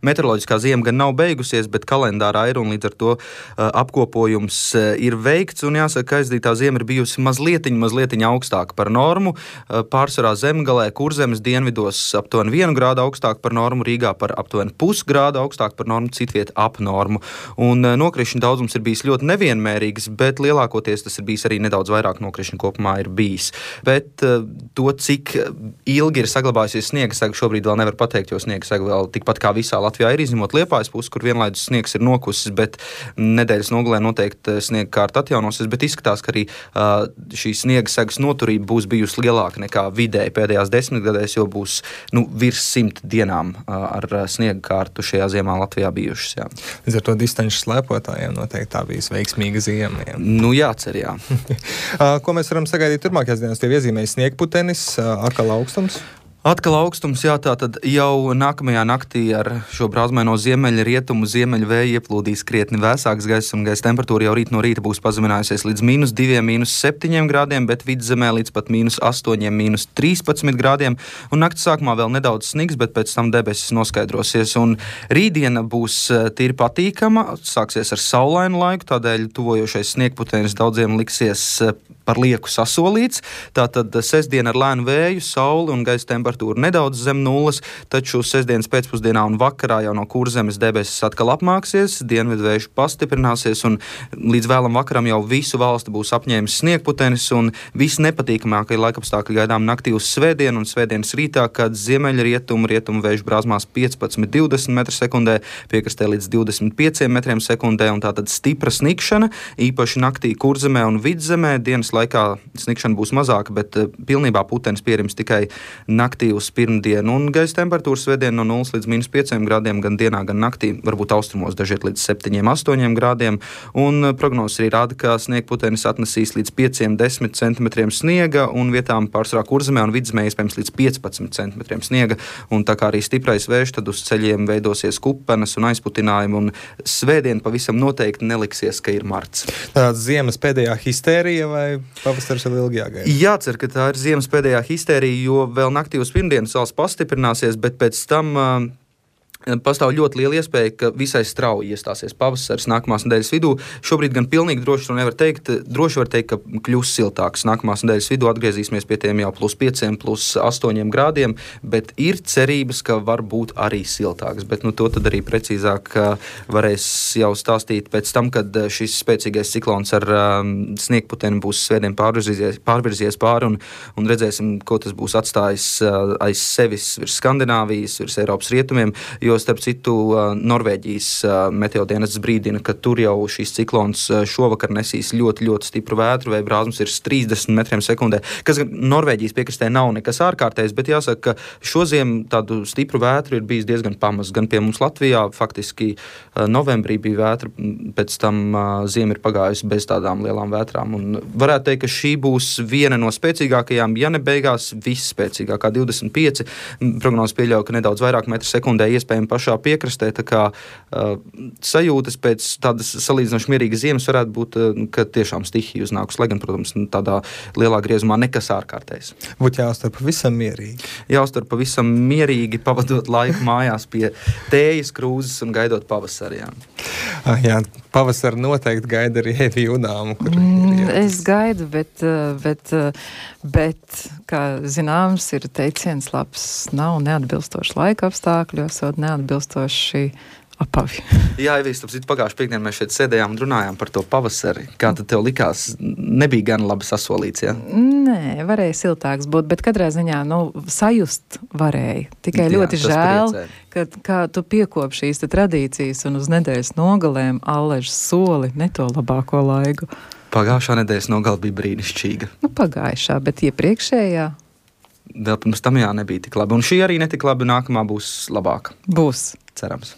Meteoroloģiskā ziema gan nav beigusies, bet kalendārā ir un līdz ar to apkopojums ir veikts. Un jāsaka, ka aizdītā ziema ir bijusi mazliet augstāka par normu. Pārsvarā Zemgalē, Kurzemes dienvidos aptuveni 1 grādu augstāk par normu, Rīgā par aptuveni pusgrādu augstāk par normu, citviet ap normu. Un nokrišņu daudzums ir bijis ļoti nevienmērīgs, bet lielākoties tas ir bijis arī nedaudz vairāk nokrišņu kopumā ir bijis. Bet to, cik ilgi ir saglabājusies sniega sega, šobrīd vēl nevar pateikt, jo sniega sega vēl tikpat kā visā Latvijā ir, izņemot Liepājas pusi, kur vienlaidus sniegs ir nokusis, bet nedēļas nogalē noteikti sniega kārta atjaunosies, bet izskatās, ka arī šī sniega segas noturība būs bijusi lielāka nekā vidēji pēdējās 10 gadēs, jo būs virs 100 dienām ar sniega kārtu šajā ziemā Latvijā bijušas. Jā. Līdz ar to distanču slēpotājiem noteikti tā bijis veiksmīga ziema. Jā. Jācer, jā. Ko mēs varam sagaidīt turpmākajās dienās? Tie iezīmēja sniegputenis, atkal augstums? Atkal augstums, jā, tātad jau nākamajā naktī ar šo brāzmaino ziemeļu rietumu ziemeļu vēju ieplūdīs krietni vēsāks gaiss, un gaisa temperatūra jau rīt no rīta būs pazeminājusies līdz -2, -7 grādiem, bet vidzemē līdz pat -8, -13 grādiem, un nakts sākumā vēl nedaudz snigs, bet pēc tam debesis noskaidrosies, un rītdiena būs tīri patīkama, sāksies ar saulainu laiku, tādēļ tuvojošais sniegputenis daudziem liksies par lieku sasolīts. Tātad sestdiena ar lēnu vēju, sauli un gaisa temperatūra nedaudz zem nulles, taču sestdienas pēcpusdienā un vakarā jau no Kurzemes debesis atkal apmāksies, dienvidvējš pastiprināsies un līdz vēlam vakaram jau visu valsti būs apņēmis sniegputenis, un visnepatīkamākie laikapstākļi gaidām naktī uz svētdienu un svētdienas rītā, kad ziemeļu rietumu vējš brāzmās 15–20 m/sekundē, piekrastē līdz 25 m/sekundē, un tātad stipra snikšana, īpaši naktī Kurzemē un Vidzemē. Dienas laikā snikšana būs mazāka, bet pilnībā putenis pierims tikai naktī uz pirmdienu, un gaisa temperatūra svētdien no 0 līdz -5 grādiem gan dienā, gan naktī, varbūt austrumos dažiet līdz 7–8 grādiem, un prognozes arī rāda, ka sniegputenis atnesīs līdz 5–10 cm sniega, un vietām pārsvarā Kurzemē un Vidzemē iespējams līdz 15 cm sniega, un tā kā arī stiprais vējš, tad uz ceļiem veidosies kupenes un aizputinājumi, un svētdien pavisam noteikti neliksies, ka ir marts. Tāda ziemas pēdējā histērija vai pavasaris vēl ilgi jāgaida? Jācer, ka tā ir ziemas pēdējā histērija, jo vēl naktī uz pirmdienu sals pastiprināsies, bet pēc tam pastāv ļoti liela iespēja, ka visai strauji iestāsies pavasaris nākamās nedēļas vidū. Šobrīd gan pilnīgi droši to nevar teikt. Droši var teikt, ka kļūs siltāks. Nākamās nedēļas vidū atgriezīsimies pie tiem jau +5, +8 grādiem, bet ir cerības, ka var būt arī siltāks. Bet to tad arī precīzāk varēs jau stāstīt pēc tam, kad šis spēcīgais ciklons ar sniegputeni būs svētdien pārvirzies pāri, un redzēsim, ko tas būs atstājis aiz sevis virs Skandināvijas, virs Eiropas rietumiem, jo starp citu Norvēģijas meteodienests brīdina, ka tur jau šīs ciklons šovakar nesīs ļoti stipru vētru, vai brāzmas ir 30 m/sekundē, kas Norvēģijas piekrastē nav nekas ārkārtējs, bet jāsaka, ka šoziem tādu stipru vētru ir bijis diezgan pamazs. Gan pie mums Latvijā faktiski novembrī bija vētra, pēc tam ziema ir pagājusi bez tādām lielām vētrām. Un varētu teikt, ka šī būs viena no spēcīgākajām, ja ne beigās visspēcīgākā 25. Prognozes pieļauj, ka nedaudz vairāk m/sekundē iespējami pašā piekrastē, tā kā sajūtas pēc tādas salīdzinoši mierīgas ziemas varētu būt, ka tiešām stihija uznākus, lai gan, protams, tādā lielā griezumā nekas ārkārtējs. Būtu jāuztver pavisam mierīgi. Jāuztver pavisam mierīgi, pavadot laiku mājās pie tējas krūzes un gaidot pavasari. Jā, pavasari noteikti gaida arī Evija Udāmu. Es gaidu, bet, kā zināms, ir teiciens labs nav neatbilstoši laika apstākļos, neatbilstoši apavi. Jā, Evijas, pagājušajā piekdienā mēs šeit sēdējām un runājām par to pavasari. Kā tad tev likās? Nebija gan labi sasolīts, jā? Nē, varēja siltāks būt, bet katrā ziņā, sajust varēja. Tikai ļoti žēl, ka tu piekop šīs tradīcijas un uz nedēļas nogalēm allež soli ne to labāko laiku. Pagājušā nedēļas nogale bija brīnišķīga. Pagājušā, bet iepriekšējā? Vēl pirms tam nebija tik labi. Un šī arī netik labi, nākamā būs labāka. Būs. Cerams.